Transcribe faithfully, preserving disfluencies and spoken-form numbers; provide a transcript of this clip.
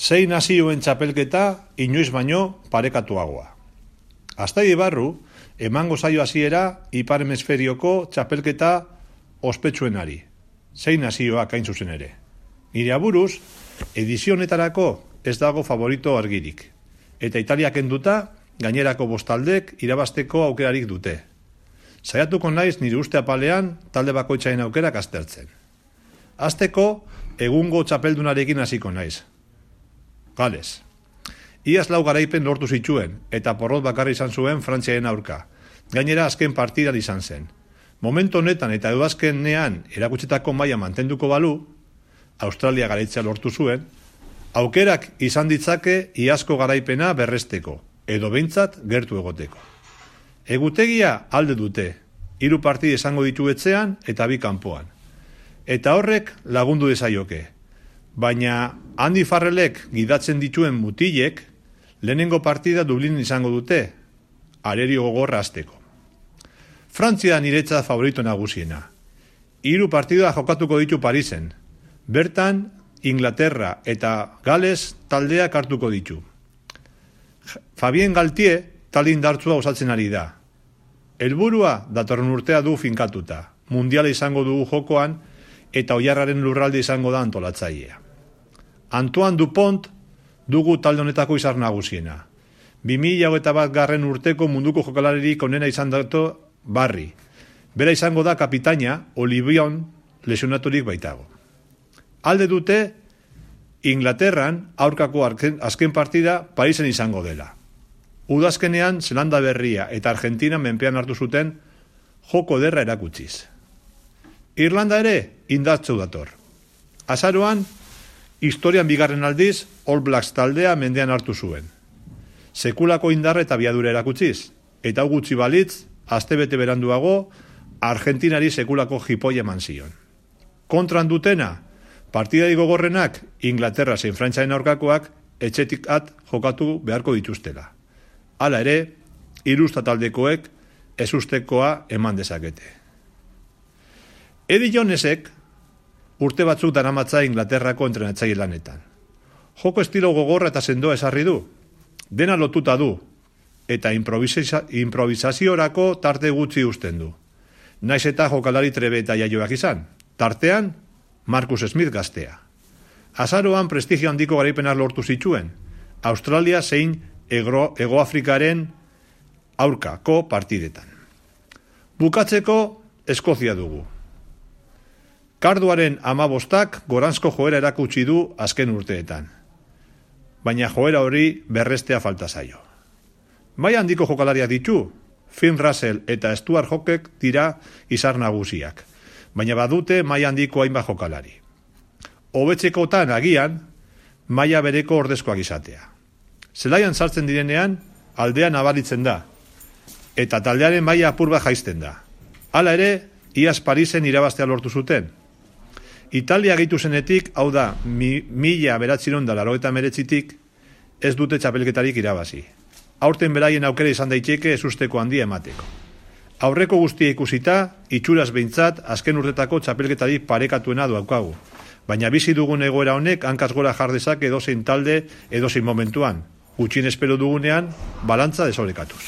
Sei nazioen txapelketa inoiz baino parekatuagoa. Aztaidi barru, emango zaio hasiera Ipar Hemisferioko txapelketa ospetsuenari. Sei nazioak hain zuzen ere. Nire aburuz, edizio honetarako ez dago favorito argirik. Eta Italiak kenduta, gainerako bostaldek irabasteko aukerarik dute. Saiatuko naiz nire uste apalean talde bakoitzaren aukerak aztertzen. Hasteko, egungo txapeldunarekin hasiko naiz. Gales. Iaz lau garaipen lortu zituen, eta porrot bakarri izan zuen Frantziaren aurka. Gainera azken partidan izan zen. Momentu honetan eta udazkenean erakutsetako maila mantenduko balu, Australia garaitzea lortu zuen, aukerak izan ditzake iazko garaipena berresteko, edo behintzat gertu egoteko. Egutegia alde dute, hiru partida izango ditu etxean eta bi kanpoan. Eta horrek lagundu dezaioke. Baina Andy Farrellek gidatzen dituen mutilek lehenengo partida Dublin izango dute, arerio gogorra hasteko. Frantzia niretzat favorito nagusiena. Hiru partida jokatuko ditu Parisen. Bertan, Inglaterra eta Gales taldeak hartuko ditu. Fabien Galtier talde indartsua osatzen ari da. Helburua datorren urtea du finkatuta. Mundiala izango dugu jokoan eta oilarraren lurralde izango da antolatzailea. Antoine Dupont dugu talde honetako izar nagusiena. bi mila hogeita bat garren urteko munduko jokalaririk onena izan dato Barri. Bera izango da kapitaina, Olivion lesionaturik baitago. Alde dute, Inglaterran aurkako azken partida Parisen izango dela. Udazkenean Zelanda Berria eta Argentina menpean hartu zuten joko derra erakutsiz. Irlanda ere indartsu dator. Azaroan, historian bigarren aldiz, All Blacks taldea mendean hartu zuen. Sekulako indarra eta biadura erakutsiz, eta gutxi balitz, astebete beranduago, Argentinari sekulako jipoia eman zion. Kontran dutena, partidai gogorrenak Inglaterra zein Frantziaren aurkakoak etxetik at jokatu beharko dituztela. Hala ere, hirusta taldekoek ezustekoa eman dezakete. Eddie Jonesek urte batzuk daramatza Inglaterrako entrenatzaile lanetan. Joko estilo gogorra eta sendoa esarri du, dena lotuta du, eta improvisa, improvisaziorako tarte gutxi uzten du. Naiz eta jokalari trebe eta jaioak izan, tartean Marcus Smith gaztea. Azaroan prestigio handiko garaipenak lortu zituen, Australia zein Ego, Ego Afrikaren aurkako partidetan. Bukatzeko Eskozia dugu. Karduaren amabostak goranzko joera erakutsi du azken urteetan. Baina joera hori berrestea falta zaio. Maila handiko jokalariak ditu, Finn Russell eta Stuart Hawkek dira izar nagusiak, baina badute maila handiko hainbat jokalari. Hobetzekotan agian, maila bereko ordezkoak izatea. Zelaian sartzen direnean, aldea nabaritzen da, eta taldearen maila apur bat jaisten da. Hala ere, iaz Parisen irabaztea lortu zuten. Italia gehitu zenetik, hau da, mi, mila beratziron da laurogeita hemeretzitik, ez dute txapelketarik irabazi. Aurten beraien aukera izan daiteke ezusteko handia emateko. Aurreko guztia ikusita, itxuraz behintzat, azken urtetako txapelketarik parekatuena daukagu. Baina bizi dugun egoera honek hankaz gora jardezak edozein talde edozein momentuan. Gutxien espero dugunean, balantza desorekatuz.